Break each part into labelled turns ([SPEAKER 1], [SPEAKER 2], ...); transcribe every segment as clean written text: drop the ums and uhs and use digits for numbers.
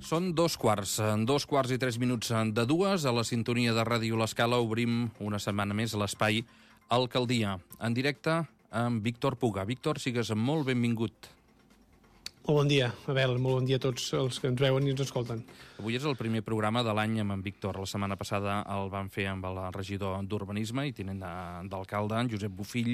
[SPEAKER 1] Són dos quarts i 3 minuts de dues. A la sintonia de Ràdio L'Escala obrim una setmana més l'espai Alcaldia, en directe amb Víctor Puga. Víctor, sigues molt benvingut.
[SPEAKER 2] Molt bon dia, Abel, molt bon dia a tots els que ens veuen i ens escolten.
[SPEAKER 1] Avui és el primer programa de l'any amb en Víctor. La setmana passada el vam fer amb el regidor d'Urbanisme i tinent d'alcalde, en Josep Bofill,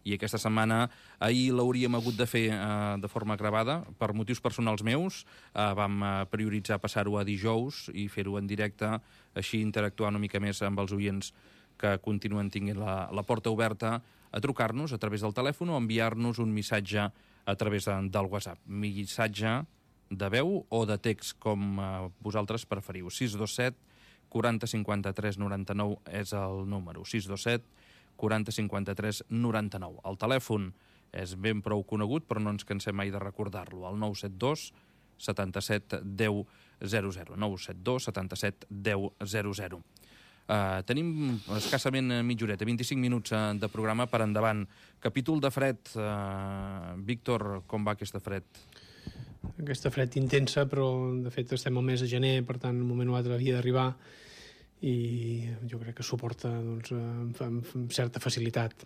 [SPEAKER 1] i aquesta setmana, ahir l'hauríem hagut de fer de forma gravada. Per motius personals meus vam prioritzar passar-ho a dijous i fer-ho en directe, així interactuar una mica més amb els oients que continuen tinguent la porta oberta a trucar-nos a través del telèfon o enviar-nos un missatge a través del WhatsApp. Missatge de veu o de text, com vosaltres preferiu. 627 40 53 99 és el número. 627 40 53 99. El telèfon és ben prou conegut, però no ens cansem mai de recordar-lo. El 972 77 10 00. 972 77 10 00. Tenim escassament mitja horeta, 25 minuts de programa per endavant. Capítol de fred. Víctor, com va aquesta fred?
[SPEAKER 2] Aquesta fred intensa, però de fet estem al mes de gener, per tant, un moment o altre havia d'arribar i jo crec que suporta amb certa facilitat.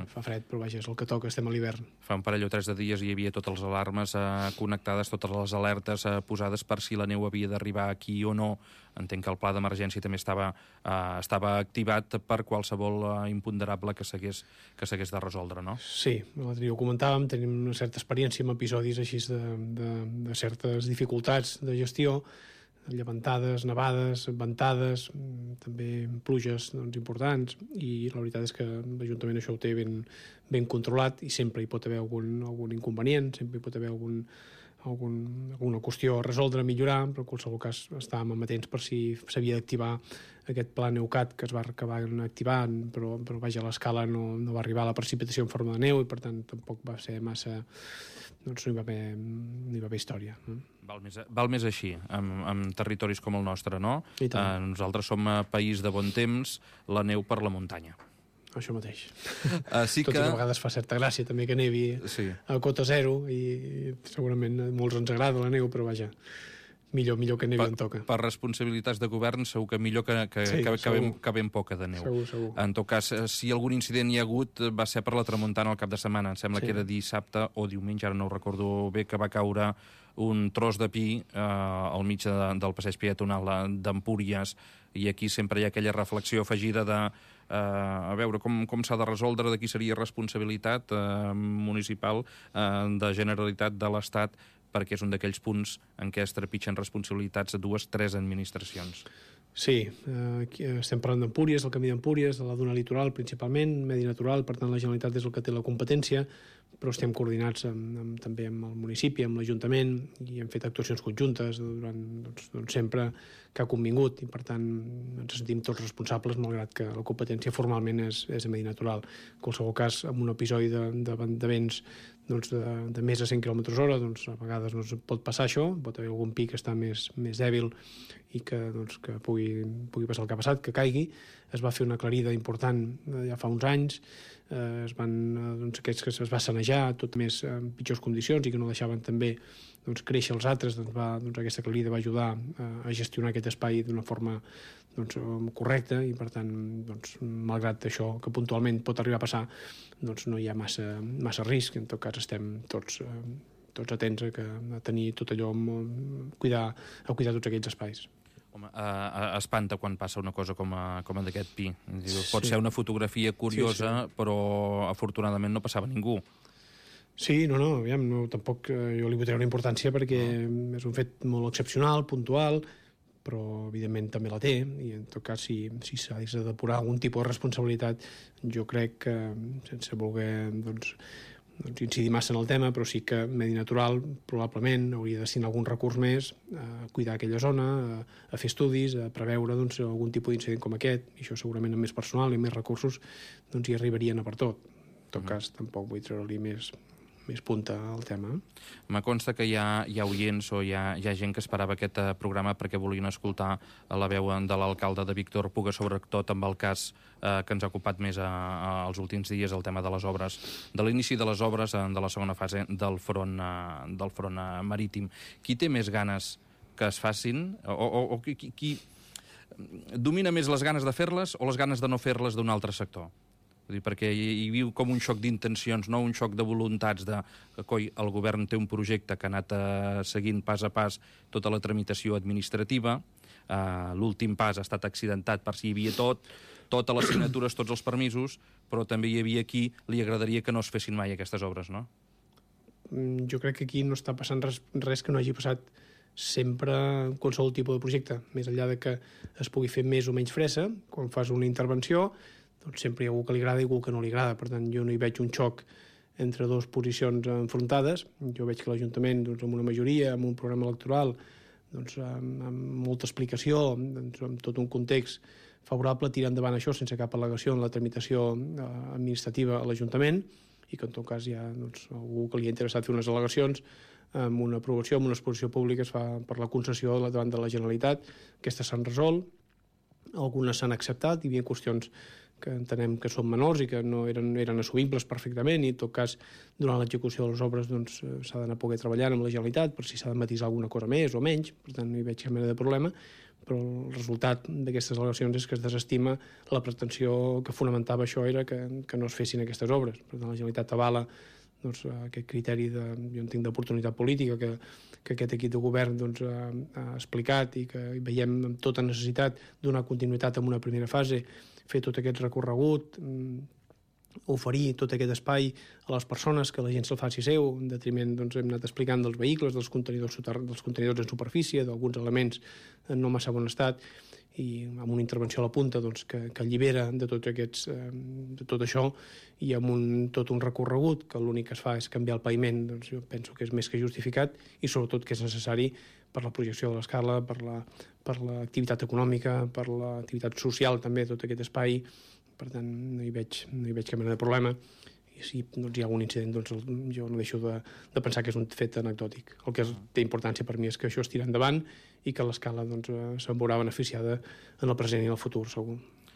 [SPEAKER 2] Fa fred, però vaja, és el que toca, estem a l'hivern.
[SPEAKER 1] Fa un parell o 3 de dies hi havia totes les alarmes connectades, totes les alertes posades per si la neu havia d'arribar aquí o no. Entenc que el pla d'emergència també estava activat per qualsevol imponderable que s'hagués de resoldre, no?
[SPEAKER 2] Sí, l'altre dia ho comentàvem, tenim una certa experiència amb episodis així de certes dificultats de gestió, llevantades, nevades, ventades, també pluges importants, i la veritat és que l'Ajuntament això ho té ben controlat i sempre hi pot haver algun inconvenient, sempre hi pot haver alguna qüestió a resoldre, a millorar, però en qualsevol cas estàvem amatents per si s'havia d'activar aquest pla NeuCat que es va acabar activant, però vaja, a l'escala no va arribar la precipitació en forma de neu i per tant tampoc va ser massa, doncs no hi va haver història.
[SPEAKER 1] Val més així, amb territoris com el nostre, no? Nosaltres som país de bon temps, la neu per la muntanya.
[SPEAKER 2] Això mateix.
[SPEAKER 1] Sí
[SPEAKER 2] tot i que a vegades fa certa gràcia també que nevi a cota zero i segurament a molts ens agrada la neu, però vaja, millor que nevi on toca.
[SPEAKER 1] Per responsabilitats de govern segur que millor que ben poca de neu.
[SPEAKER 2] Segur.
[SPEAKER 1] En tot cas, si algun incident hi ha hagut va ser per la tramuntana al cap de setmana. Em sembla que era dissabte o diumenge, ara no ho recordo bé, que va caure un tros de pi al mig del passeig peatonal d'Empúries, i aquí sempre hi ha aquella reflexió afegida de a veure com s'ha de resoldre, de qui seria responsabilitat municipal, de Generalitat, de l'Estat, perquè és un d'aquells punts en què es trepitgen responsabilitats de 2-3 administracions.
[SPEAKER 2] Sí, estem parlant d'Empúries, del camí d'Empúries, de la duna litoral principalment, medi natural, per tant la Generalitat és el que té la competència, però estem coordinats també amb el municipi, amb l'Ajuntament, i hem fet actuacions conjuntes durant sempre que ha convingut, i per tant ens sentim tots responsables, malgrat que la competència formalment és a medi natural. En qualsevol cas, en un episodi de vents de més de 100 km/h, a vegades pot passar això, pot haver algun pic que està més dèbil i que pugui passar el que ha passat, que caigui. Es va fer una aclarida important ja fa uns anys, aquests que es va sanejar tot més en pitjors condicions i que no deixaven també créixer els altres, aquesta aclarida va ajudar a gestionar aquest espai d'una forma correcta, i per tant malgrat això que puntualment pot arribar a passar, no hi ha massa risc. En tot cas estem tots atents a tenir tot allò, a cuidar tots aquells espais.
[SPEAKER 1] Home, espanta quan passa una cosa com d'aquest pi. Pot ser una fotografia curiosa, però afortunadament no passava ningú.
[SPEAKER 2] Sí, tampoc jo li vull treure una importància perquè és un fet molt excepcional, puntual, però evidentment també la té, i en tot cas si s'ha de depurar algun tipus de responsabilitat, jo crec que sense voler incidir massa en el tema, però sí que Medi Natural probablement hauria de destinar algun recurs més a cuidar aquella zona, a fer estudis, a preveure algun tipus d'incident com aquest, i això segurament amb més personal i més recursos hi arribarien a per tot. En tot cas tampoc vull treure-li més punta al tema.
[SPEAKER 1] Me consta que hi ha oients o hi ha gent que esperava aquest programa perquè volien escoltar la veu de l'alcalde de Víctor Puga, sobretot amb el cas que ens ha ocupat més els últims dies, el tema de les obres, de l'inici de les obres de la segona fase del front marítim. Qui té més ganes que es facin, o qui domina més les ganes de fer-les o les ganes de no fer-les d'un altre sector? Perquè hi viu com un xoc d'intencions, no un xoc de voluntats de que el govern té un projecte que ha anat seguint pas a pas tota la tramitació administrativa, l'últim pas ha estat accidentat per si hi havia totes les signatures, tots els permisos, però també hi havia qui li agradaria que no es fessin mai aquestes obres, no?
[SPEAKER 2] Jo crec que aquí no està passant res que no hagi passat sempre en qualsevol tipus de projecte, més enllà de que es pugui fer més o menys fressa. Quan fas una intervenció, doncs sempre hi ha algú que li agrada i algú que no li agrada. Per tant, jo no hi veig un xoc entre dues posicions enfrontades. Jo veig que l'Ajuntament, doncs, amb una majoria, amb un programa electoral, doncs, amb molta explicació, doncs, amb tot un context favorable, tira endavant això sense cap al·legació en la tramitació administrativa a l'Ajuntament, i que en tot cas hi ha algú que li ha interessat fer unes al·legacions amb una aprovació, amb una exposició pública es fa per la concessió davant de la Generalitat. Aquestes s'han resolt, algunes s'han acceptat, hi havia qüestions que entenem que són menors i que no eren assumibles perfectament, i en tot cas durant l'execució de les obres s'ha d'anar poder treballant amb la Generalitat per si s'ha de matisar alguna cosa més o menys, per tant no hi veig cap mena de problema, però el resultat d'aquestes al·legacions és que es desestima la pretensió que fonamentava això era que no es fessin aquestes obres. Per tant, la Generalitat avala aquest criteri jo entenc d'oportunitat política que aquest equip de govern ha explicat i que veiem amb tota necessitat donar continuïtat en una primera fase, fer tot aquest recorregut, oferir tot aquest espai a les persones, que la gent se'l faci seu, en detriment, hem anat explicant dels vehicles, dels contenidors en superfície, d'alguns elements en no massa bon estat, i amb una intervenció a la punta que allibera de tot això, i amb tot un recorregut que l'únic que es fa és canviar el paviment, jo penso que és més que justificat i sobretot que és necessari per la projecció de l'escala, per l'activitat econòmica, per l'activitat social també, tot aquest espai. Per tant, no hi veig cap mena de problema. I si hi ha algun incident, jo no deixo de pensar que és un fet anecdòtic. El que té importància per mi és que això es tira endavant i que l'escala se'n veurà beneficiada en el present i en el futur, segur.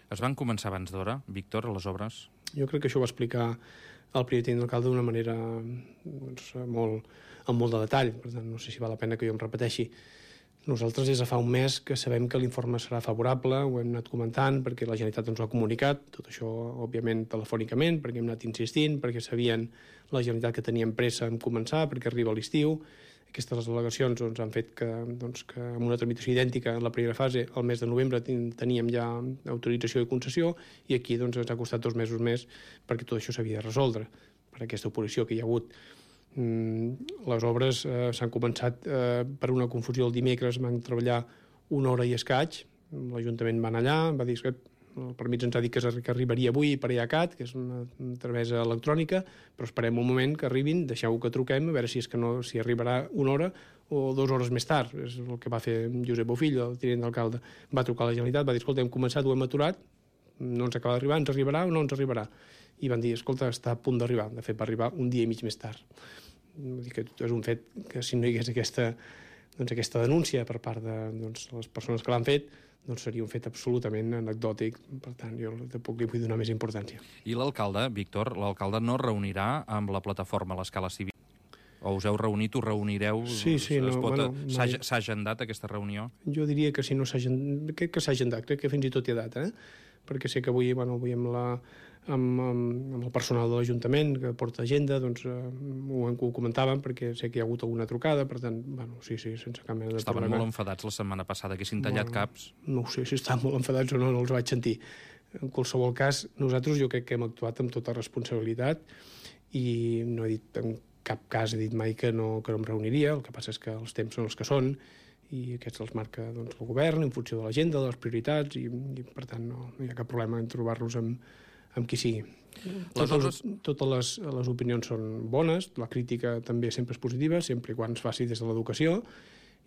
[SPEAKER 1] Es van començar abans d'hora, Víctor, a les obres?
[SPEAKER 2] Jo crec que això ho va explicar el primer tinent d'alcalde d'una manera amb molt de detall. Per tant, no sé si val la pena que jo em repeteixi. Nosaltres des de fa un mes que sabem que l'informe serà favorable, ho hem anat comentant perquè la Generalitat ens ho ha comunicat, tot això òbviament telefònicament, perquè hem anat insistint, perquè sabien la Generalitat que teníem pressa en començar, perquè arriba l'estiu. Aquestes al·legacions han fet que amb una tramitació idèntica en la primera fase, al mes de novembre teníem ja autorització i concessió, i aquí ens ha costat 2 mesos més perquè tot això s'havia de resoldre per aquesta oposició que hi ha hagut. Les obres s'han començat per una confusió el dimecres, van treballar 1 hora i escaig, l'Ajuntament va anar allà, va dir que el permís ens ha dit que arribaria avui per IACAT, que és una tramesa electrònica, però esperem un moment que arribin, deixeu que truquem, a veure si arribarà 1 hora o 2 hores més tard. És el que va fer Josep Bofill, el tinent d'alcalde. Va trucar a la Generalitat, va dir, escolta, hem començat, ho hem aturat, no ens acaba d'arribar, ens arribarà o no ens arribarà? I van dir, escolta, està a punt d'arribar. De fet, va arribar 1 dia i mig més tard. Vull dir que és un fet que si no hi hagués aquesta denúncia per part de les persones que l'han fet, seria un fet absolutament anecdòtic. Per tant, jo tampoc li vull donar més importància.
[SPEAKER 1] I l'alcalde, Víctor, l'alcalde no reunirà amb la plataforma a l'escala civil? O us heu reunit, us reunireu?
[SPEAKER 2] Sí,
[SPEAKER 1] s'ha agendat aquesta reunió?
[SPEAKER 2] Jo diria que si no s'ha agendat, crec que s'ha agendat, crec que fins i tot hi ha data, perquè sé que avui amb el personal de l'Ajuntament que porta agenda, ho comentàvem perquè sé que hi ha hagut alguna trucada, per tant, sí, sense cap mena de problema.
[SPEAKER 1] Estaven molt enfadats la setmana passada, que s'hin tallat caps.
[SPEAKER 2] No ho sé si estan molt enfadats o no els vaig sentir. En qualsevol cas, nosaltres jo crec que hem actuat amb tota responsabilitat i no he dit, en cap cas he dit mai que no em reuniria, el que passa és que els temps són els que són i aquests els marca el govern en funció de l'agenda, de les prioritats, i per tant no hi ha cap problema en trobar-nos amb qui sigui. Totes les opinions són bones, la crítica també sempre és positiva, sempre i quan es faci des de l'educació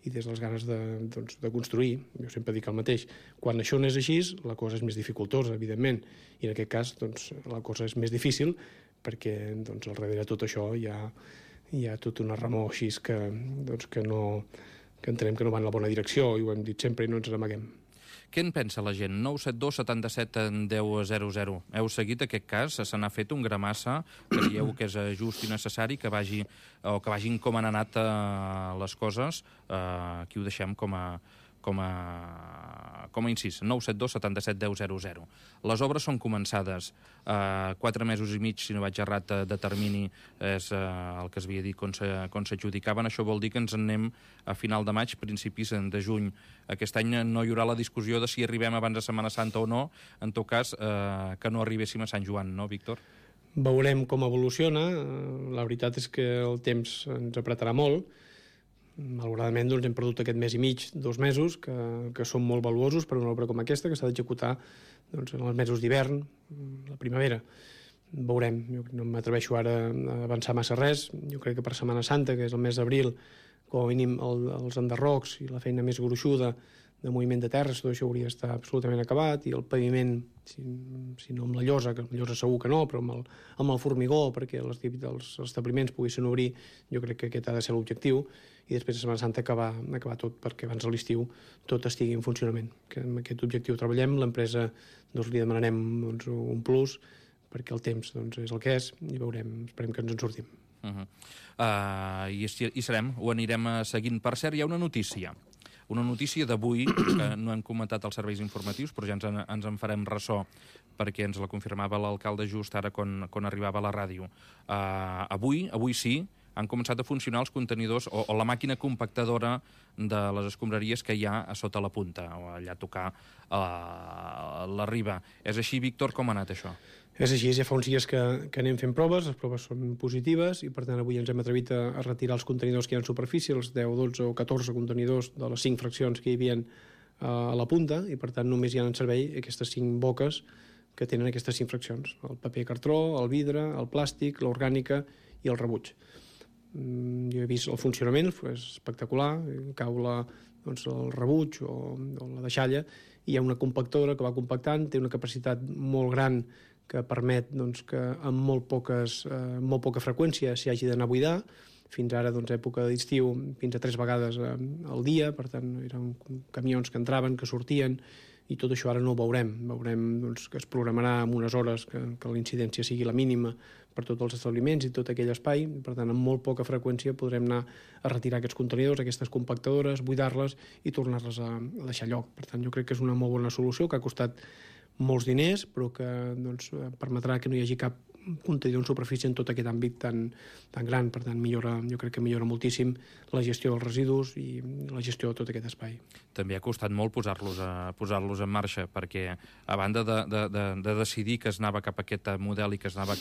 [SPEAKER 2] i des de les ganes de construir. Jo sempre dic el mateix. Quan això no és així, la cosa és més dificultosa, evidentment, i en aquest cas la cosa és més difícil perquè al darrere de tot això hi ha tota una remor així que entenem que no va en la bona direcció, i ho hem dit sempre i no ens n'amaguem.
[SPEAKER 1] Què en pensa la gent? 972 77 10 00. Heu seguit aquest cas? Se n'ha fet un gramassa? Creieu que és just i necessari que vagin com han anat les coses? Aquí ho deixem com a incís, 972 77 10 00. Les obres són començades. 4 mesos i mig, si no vaig errat, de termini és el que es havia dit quan s'adjudicaven. Això vol dir que ens en anem a final de maig, principis de juny. Aquest any no hi haurà la discussió de si arribem abans de Setmana Santa o no, en tot cas que no arribéssim a Sant Joan, no, Víctor?
[SPEAKER 2] Veurem com evoluciona. La veritat és que el temps ens apretarà molt. Malauradament doncs, hem perdut aquest mes i mig, 2 mesos, que són molt valuosos per una obra com aquesta, que s'ha d'executar doncs, en els mesos d'hivern, la primavera. Veurem, jo no m'atreveixo ara a avançar massa res. Jo crec que per Setmana Santa, que és el mes d'abril, com a mínim els enderrocs i la feina més gruixuda de moviment de terres, tot això hauria d'estar absolutament acabat, i el paviment, si no amb la llosa, que amb la llosa segur que no, però amb el formigó, perquè els establiments poguessin obrir, jo crec que aquest ha de ser l'objectiu, i després de Setmana Santa acabar tot, perquè abans de l'estiu tot estigui en funcionament. Que amb aquest objectiu treballem, l'empresa doncs, li demanarem doncs, un plus, perquè el temps doncs, és el que és, i veurem, esperem que ens en sortim.
[SPEAKER 1] I serem, ho anirem seguint. Per cert, hi ha una notícia d'avui, que no hem comentat als serveis informatius, però ja ens en farem ressò, perquè ens la confirmava l'alcalde just ara quan arribava a la ràdio. Avui sí, han començat a funcionar els contenidors o la màquina compactadora de les escombraries que hi ha a sota la punta, o allà a tocar la riba. És així, Víctor, com ha anat això?
[SPEAKER 2] És així, ja fa uns dies que anem fent proves, les proves són positives, i per tant avui ens hem atrevit a retirar els contenidors que hi ha en superfície, els 10, 12 o 14 contenidors de les 5 fraccions que hi havia a la punta, i per tant només hi ha en servei aquestes 5 boques que tenen aquestes 5 fraccions: el paper cartró, el vidre, el plàstic, l'orgànica i el rebuig. Jo he vist el funcionament, és espectacular, cau el rebuig o la deixalla, i hi ha una compactadora que va compactant, té una capacitat molt gran que permet que amb molt poca freqüència s'hi hagi d'anar a buidar. Fins ara, època d'estiu, fins a 3 vegades al dia, per tant, eren camions que entraven, que sortien, i tot això ara no ho veurem. Veurem que es programarà en unes hores que la incidència sigui la mínima per tots els establiments i tot aquell espai. Per tant, amb molt poca freqüència podrem anar a retirar aquests contenidors, aquestes compactadores, buidar-les i tornar-les a deixar lloc. Per tant, jo crec que és una molt bona solució, que ha costat molts diners, però que permetrà que no hi hagi cap contenidor en superfície en tot aquest àmbit tan gran. Per tant, jo crec que millora moltíssim la gestió dels residus i la gestió de tot aquest espai.
[SPEAKER 1] També ha costat molt posar-los en marxa, perquè a banda de decidir que es anava cap a aquest model i que es anava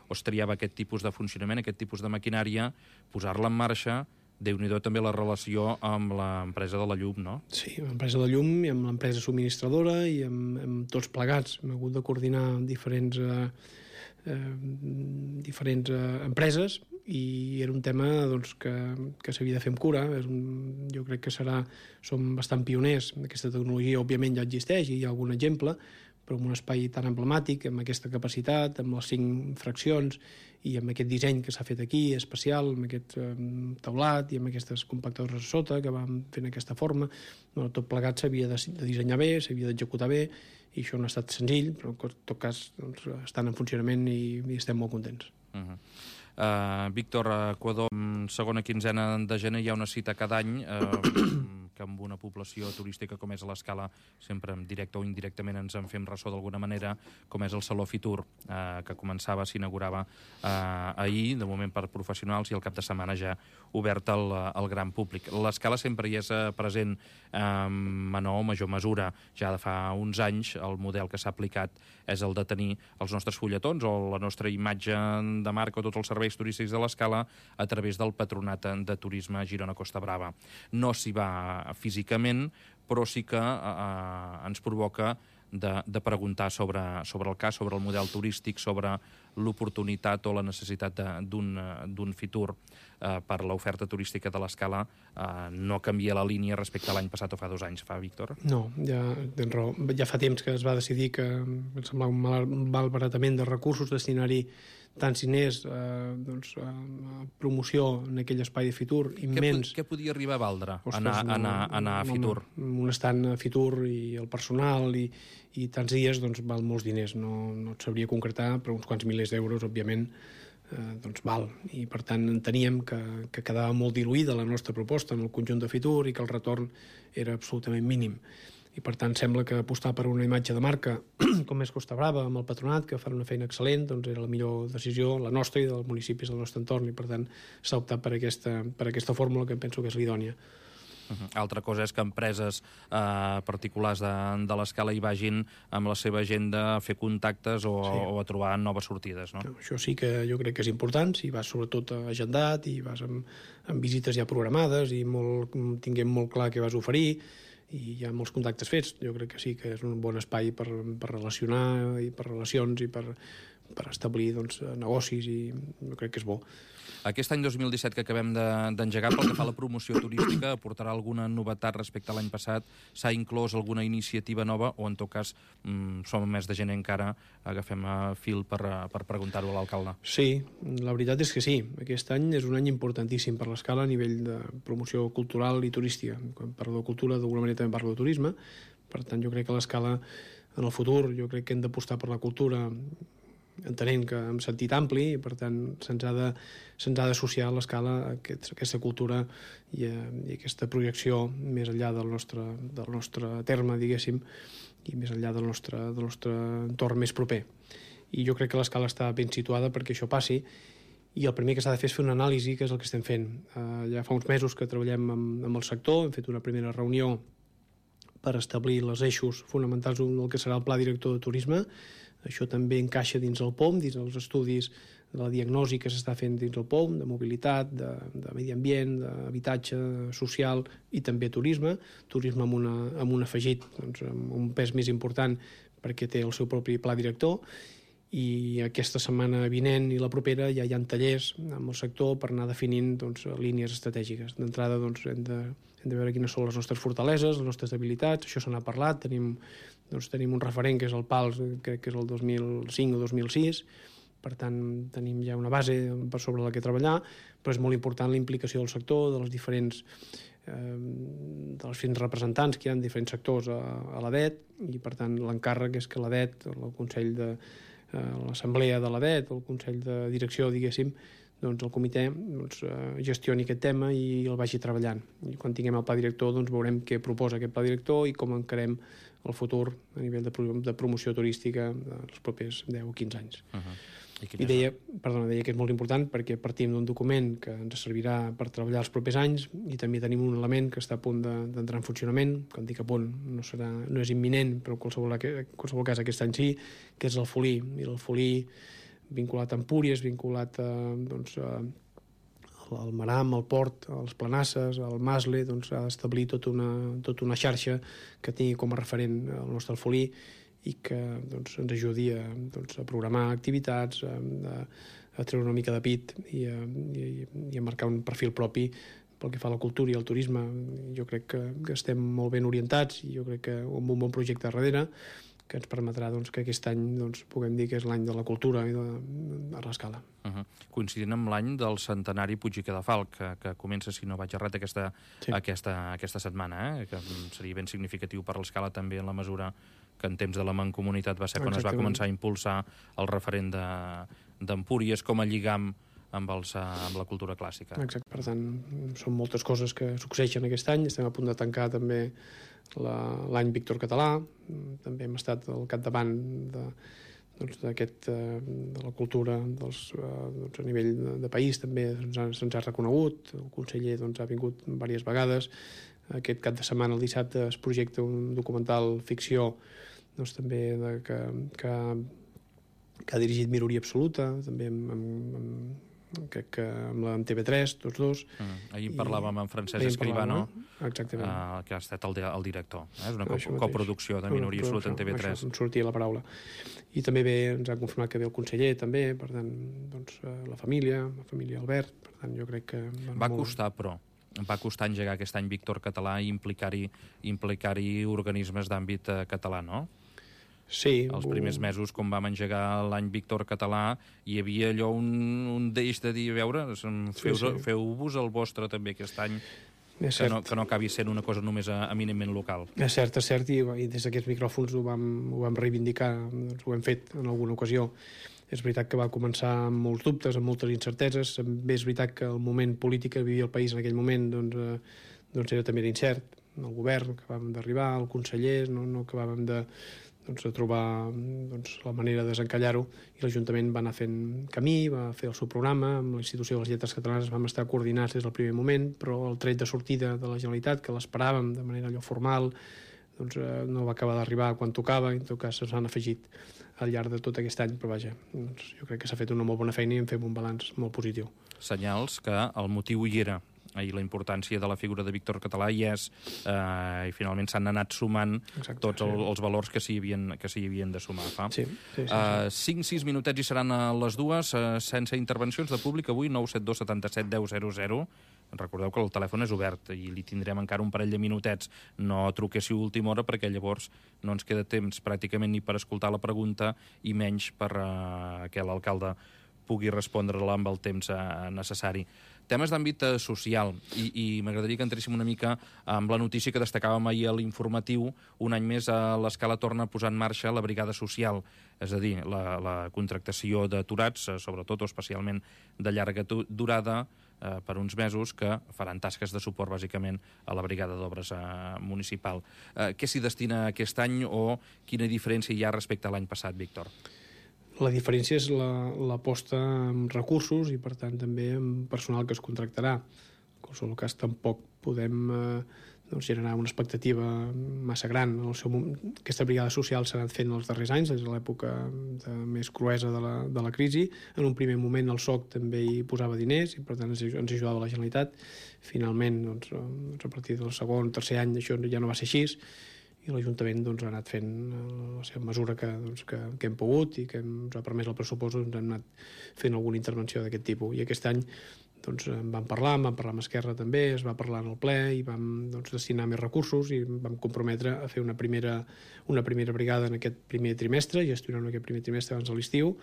[SPEAKER 1] o es triava aquest tipus de funcionament, aquest tipus de maquinària, posar-la en marxa, Déu-n'hi-do també la relació amb l'empresa de la llum, no?
[SPEAKER 2] Sí, amb l'empresa de la llum i amb l'empresa subministradora i amb tots plegats. Hem hagut de coordinar diferents empreses, i era un tema que s'havia de fer amb cura. Jo crec que som bastant pioners. Aquesta tecnologia òbviament ja existeix i hi ha algun exemple, però en un espai tan emblemàtic, amb aquesta capacitat, amb les 5 fraccions i amb aquest disseny que s'ha fet aquí, especial, amb aquest teulat i amb aquestes compactadores a sota que van fent aquesta forma, tot plegat s'havia de dissenyar bé, s'havia d'executar bé, i això no ha estat senzill, però en tot cas estan en funcionament i estem molt contents.
[SPEAKER 1] Víctor, a Equador, segona quinzena de gener hi ha una cita cada any que amb una població turística com és l'Escala, sempre directe o indirectament ens en fem ressò d'alguna manera, com és el Saló Fitur, que s'inaugurava ahir, de moment per professionals, i el cap de setmana ja obert al gran públic. L'Escala sempre hi és present en menor o major mesura. Ja de fa uns anys el model que s'ha aplicat és el de tenir els nostres fulletons o la nostra imatge de marca o tots els serveis turístics de l'Escala a través del Patronat de Turisme Girona-Costa Brava. No s'hi va físicament, però sí que ens provoca de preguntar sobre el cas, sobre el model turístic, sobre l'oportunitat o la necessitat d'un Fitur per l'oferta turística de l'Escala. No canvia la línia respecte a l'any passat o fa 2 anys, Víctor?
[SPEAKER 2] No, ja tens raó. Ja fa temps que es va decidir que em semblava un malbaratament de recursos destinar-hi tants diners promoció en aquell espai de Fitur immens.
[SPEAKER 1] Què podia arribar a valdre anar a Fitur?
[SPEAKER 2] Un estant a Fitur i el personal i tants dies val molts diners. No et sabria concretar, però uns quants milers d'euros, òbviament, val. I per tant enteníem que quedava molt diluïda la nostra proposta en el conjunt de Fitur i que el retorn era absolutament mínim. I per tant sembla que apostar per una imatge de marca com és Costa Brava, amb el Patronat, que fan una feina excel·lent, era la millor decisió, la nostra i dels municipis del nostre entorn, i per tant s'ha optat per aquesta fórmula que penso que és l'idònia.
[SPEAKER 1] Altra cosa és que empreses particulars de l'Escala hi vagin amb la seva agenda a fer contactes o a trobar noves sortides, no?
[SPEAKER 2] Això sí que jo crec que és important, si vas sobretot agendat i vas amb visites ja programades i tinguem molt clar què vas oferir, i hi ha molts contactes fets. Jo crec que sí que és un bon espai per relacionar i per relacions i per establir negocis, i jo crec que és bo.
[SPEAKER 1] Aquest any 2017 que acabem d'engegar, pel que fa a la promoció turística, aportarà alguna novetat respecte a l'any passat? S'ha inclòs alguna iniciativa nova o, en tot cas, som més de gent encara, agafem fil per preguntar-ho a l'alcalde?
[SPEAKER 2] Sí, la veritat és que sí. Aquest any és un any importantíssim per l'Escala a nivell de promoció cultural i turística. Quan parlo de cultura, d'alguna manera també parlo de turisme. Per tant, jo crec que l'Escala, en el futur, jo crec que hem d'apostar per la cultura, entenent que en sentit ampli, i per tant se'ns ha d'associar a l'Escala aquesta cultura i aquesta projecció més enllà del nostre terme, diguéssim, i més enllà del nostre entorn més proper. I jo crec que l'Escala està ben situada perquè això passi, i el primer que s'ha de fer és fer una anàlisi, que és el que estem fent. Ja fa uns mesos que treballem amb el sector, hem fet una primera reunió per establir els eixos fonamentals del que serà el Pla Director de Turisme. Això també encaixa dins el POM, dins els estudis de la diagnosi que s'està fent dins el POM, de mobilitat, de medi ambient, d'habitatge social i també turisme amb un afegit, amb un pes més important perquè té el seu propi pla director. I aquesta setmana vinent i la propera ja hi ha tallers amb el sector per anar definint línies estratègiques. D'entrada hem de veure quines són les nostres fortaleses, les nostres debilitats. Això se n'ha parlat, tenim un referent que és el PALS, crec que és el 2005 o 2006, per tant tenim ja una base per sobre la que treballar, però és molt important la implicació del sector, dels diferents representants que hi ha en diferents sectors a l'ADET, i per tant l'encàrrec és que l'ADET, el Consell de l'Assemblea de l'ADET, el Consell de Direcció, diguéssim, el comitè gestioni aquest tema i el vagi treballant. I quan tinguem el pla director veurem què proposa aquest pla director i com encarem el futur a nivell de promoció turística dels propers 10 o 15 anys. I deia que és molt important perquè partim d'un document que ens servirà per treballar els propers anys, i també tenim un element que està a punt d'entrar en funcionament. Quan dic a punt no és imminent, però en qualsevol cas aquest any sí, que és el Folí. I el Folí vinculat a Empúries, vinculat al Maram, al Port, als Planasses, al Masle, ha d'establir tota una xarxa que tingui com a referent el nostre Folí i que ens ajudi a programar activitats, a treure una mica de pit i a marcar un perfil propi pel que fa a la cultura i al turisme. Jo crec que estem molt ben orientats i jo crec que amb un bon projecte darrere que ens permetrà que aquest any puguem dir que és l'any de la cultura i a l'Escala.
[SPEAKER 1] Coincidint amb l'any del centenari Puig i Cadafalch, que comença, si no vaig errat, aquesta setmana, que seria ben significatiu per l'Escala també en la mesura que en temps de la Mancomunitat va ser quan es va començar a impulsar el referent d'Empúries com a lligam amb la cultura clàssica.
[SPEAKER 2] Exacte, per tant, són moltes coses que succeeixen aquest any. Estem a punt de tancar també l'any Víctor Català, també hem estat al capdavant de la cultura a nivell de país, també se'ns ha reconegut, el conseller ha vingut diverses vegades. Aquest cap de setmana, el dissabte, es projecta un documental ficció també que ha dirigit Minoria Absoluta, també crec que amb TV3, tots dos.
[SPEAKER 1] Ahir parlàvem amb Francesc Escribano,
[SPEAKER 2] exactament,
[SPEAKER 1] que ha estat el director. És una coproducció de Minoria Absoluta en TV3.
[SPEAKER 2] Això, sortia la paraula. I també ens ha confirmat que ve el conseller, també, per tant, la família Albert, per tant, jo crec que...
[SPEAKER 1] Va costar engegar aquest any Víctor Català i implicar-hi organismes d'àmbit català, no?
[SPEAKER 2] Sí.
[SPEAKER 1] Els primers mesos, quan vam engegar l'any Víctor Català, hi havia allò un deix de dir, a veure, feu-vos el vostre també aquest any, que no acabi sent una cosa només eminentment local.
[SPEAKER 2] És cert, i des d'aquests micròfons ho vam reivindicar, ho hem fet en alguna ocasió. És veritat que va començar amb molts dubtes, amb moltes incerteses. També és veritat que el moment polític que vivia el país en aquell moment era també incert. El govern que acabàvem d'arribar, el conseller, no acabàvem de trobar la manera de desencallar-ho, i l'Ajuntament va anar fent camí, va fer el seu programa, amb la Institució de les Lletres Catalanes vam estar coordinats des del primer moment, però el tret de sortida de la Generalitat, que l'esperàvem de manera allò formal, no va acabar d'arribar quan tocava, i en tot cas s'han afegit al llarg de tot aquest any, però vaja, jo crec que s'ha fet una molt bona feina i en fem un balanç molt positiu.
[SPEAKER 1] Senyals que el motiu hi era, i la importància de la figura de Víctor Català hi és, i finalment s'han anat sumant tots els valors que s'hi havien de sumar. 5-6 minutets i seran a les 2, sense intervencions de públic avui, 972 77 10 00. Recordeu que el telèfon és obert i li tindrem encara un parell de minutets. No truquéssiu a última hora, perquè llavors no ens queda temps pràcticament ni per escoltar la pregunta i menys per que l'alcalde pugui respondre-la amb el temps necessari. Temes d'àmbit social, i m'agradaria que entréssim una mica amb la notícia que destacàvem ahir a l'informatiu. Un any més l'Escala torna a posar en marxa la brigada social, és a dir, la contractació d'aturats, sobretot o especialment de llarga durada, per uns mesos, que faran tasques de suport bàsicament a la brigada d'obres municipal. Què s'hi destina aquest any o quina diferència hi ha respecte a l'any passat, Víctor?
[SPEAKER 2] La diferència és l'aposta en recursos i, per tant, també en personal que es contractarà. En qualsevol cas, tampoc podem generar una expectativa massa gran. Aquesta brigada social s'ha anat fent els darrers anys, des de l'època més cruesa de la crisi. En un primer moment el SOC també hi posava diners i, per tant, ens ajudava la Generalitat. Finalment, a partir del segon, tercer any, això ja no va ser així, i l'Ajuntament ha anat fent la seva mesura que hem pogut i que ens ha permès el pressupost, hem anat fent alguna intervenció d'aquest tipus. I aquest any en vam parlar amb Esquerra també, es va parlar en el ple i vam destinar més recursos i vam comprometre a fer una primera brigada en aquest primer trimestre, gestionant aquest primer trimestre abans de l'estiu,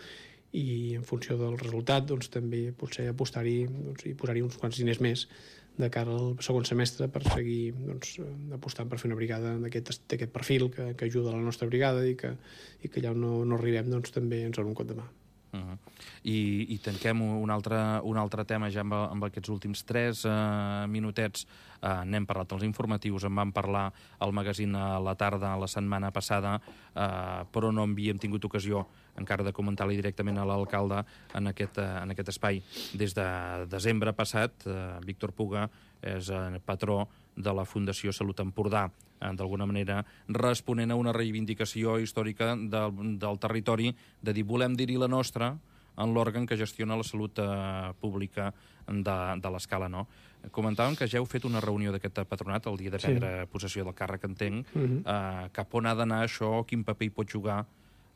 [SPEAKER 2] i en funció del resultat també potser apostar-hi i posar-hi uns quants diners més de cara al segon semestre per seguir apostant per fer una brigada d'aquest perfil que ajuda a la nostra brigada i que allà on no arribem també ens donen un cop de mà.
[SPEAKER 1] I tanquem un altre tema ja amb aquests últims 3 minutets. N'hem parlat als informatius, en vam parlar al magazín a la tarda la setmana passada, però no havíem tingut ocasió encara de comentar-li directament a l'alcalde en aquest espai. Des de desembre passat, Víctor Puga és patró de la Fundació Salut Empordà, d'alguna manera responent a una reivindicació històrica del territori de dir volem dir-hi la nostra en l'òrgan que gestiona la salut pública de l'Escala, no? Comentàvem que ja heu fet una reunió d'aquest patronat el dia de prendre possessió del càrrec, entenc. Cap on ha d'anar això? Quin paper hi pot jugar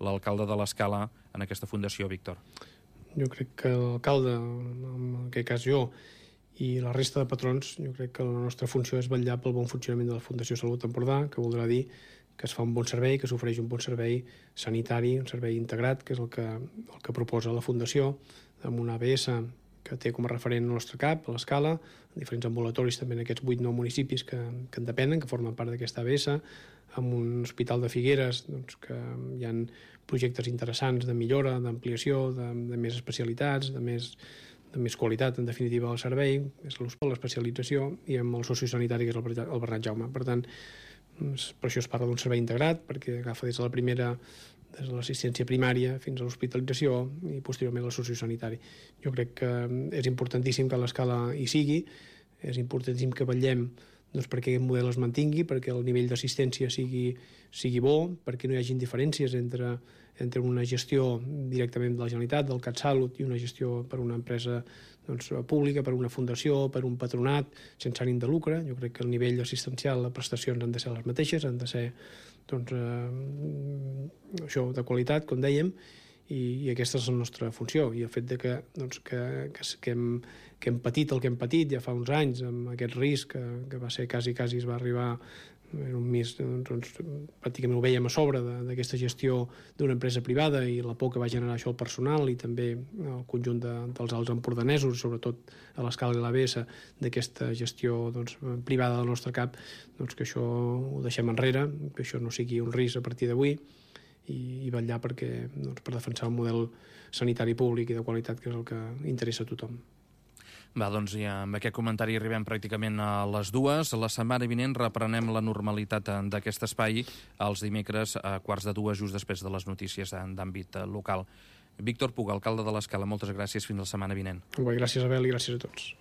[SPEAKER 1] l'alcalde de l'Escala en aquesta fundació, Víctor?
[SPEAKER 2] Jo crec que l'alcalde, en aquest cas jo, i la resta de patrons, jo crec que la nostra funció és vetllar pel bon funcionament de la Fundació Salut Empordà, que voldrà dir que es fa un bon servei, que s'ofereix un bon servei sanitari, un servei integrat, que és el que proposa la Fundació, amb una ABS que té com a referent el nostre CAP, a l'Escala, diferents ambulatoris també en aquests 8-9 municipis que en depenen, que formen part d'aquesta ABS, amb un hospital de Figueres que hi ha projectes interessants de millora, d'ampliació, de més especialitats, de més qualitat, en definitiva, del servei, és l'especialització, i amb el sociosanitari, que és el Bernat Jaume. Per tant, per això es parla d'un servei integrat, perquè agafa des de l'assistència primària fins a l'hospitalització i posteriorment el sociosanitari. Jo crec que és importantíssim que l'Escala hi sigui, és importantíssim que vetllem perquè aquest model es mantingui, perquè el nivell d'assistència sigui bo, perquè no hi hagin diferències entre una gestió directament de la Generalitat, del CatSalut, i una gestió per una empresa pública, per una fundació, per un patronat, sense ànim de lucre. Jo crec que el nivell assistencial, les prestacions han de ser les mateixes, han de ser això de qualitat, com dèiem, i aquesta és la nostra funció. I el fet de que hem patit el que hem patit ja fa uns anys, amb aquest risc que va ser quasi es va arribar Era un mis, doncs, pràcticament ho veiem a sobre d'aquesta gestió d'una empresa privada i la por que va generar això al personal i també el conjunt dels alts empordanesos, sobretot a l'escala i l'ABS, d'aquesta gestió doncs, privada del nostre cap, doncs, que això ho deixem enrere, que això no sigui un risc a partir d'avui i vetllar perquè, doncs, per defensar un model sanitari públic i de qualitat, que és el que interessa a tothom.
[SPEAKER 1] Va, doncs i amb aquest comentari arribem pràcticament a les 2. La setmana vinent reprenem la normalitat d'aquest espai els dimecres a 1:45, just després de les notícies d'àmbit local. Víctor Puga, alcalde de l'Escala, moltes gràcies. Fins la setmana vinent.
[SPEAKER 2] Gràcies, Abel, i gràcies a tots.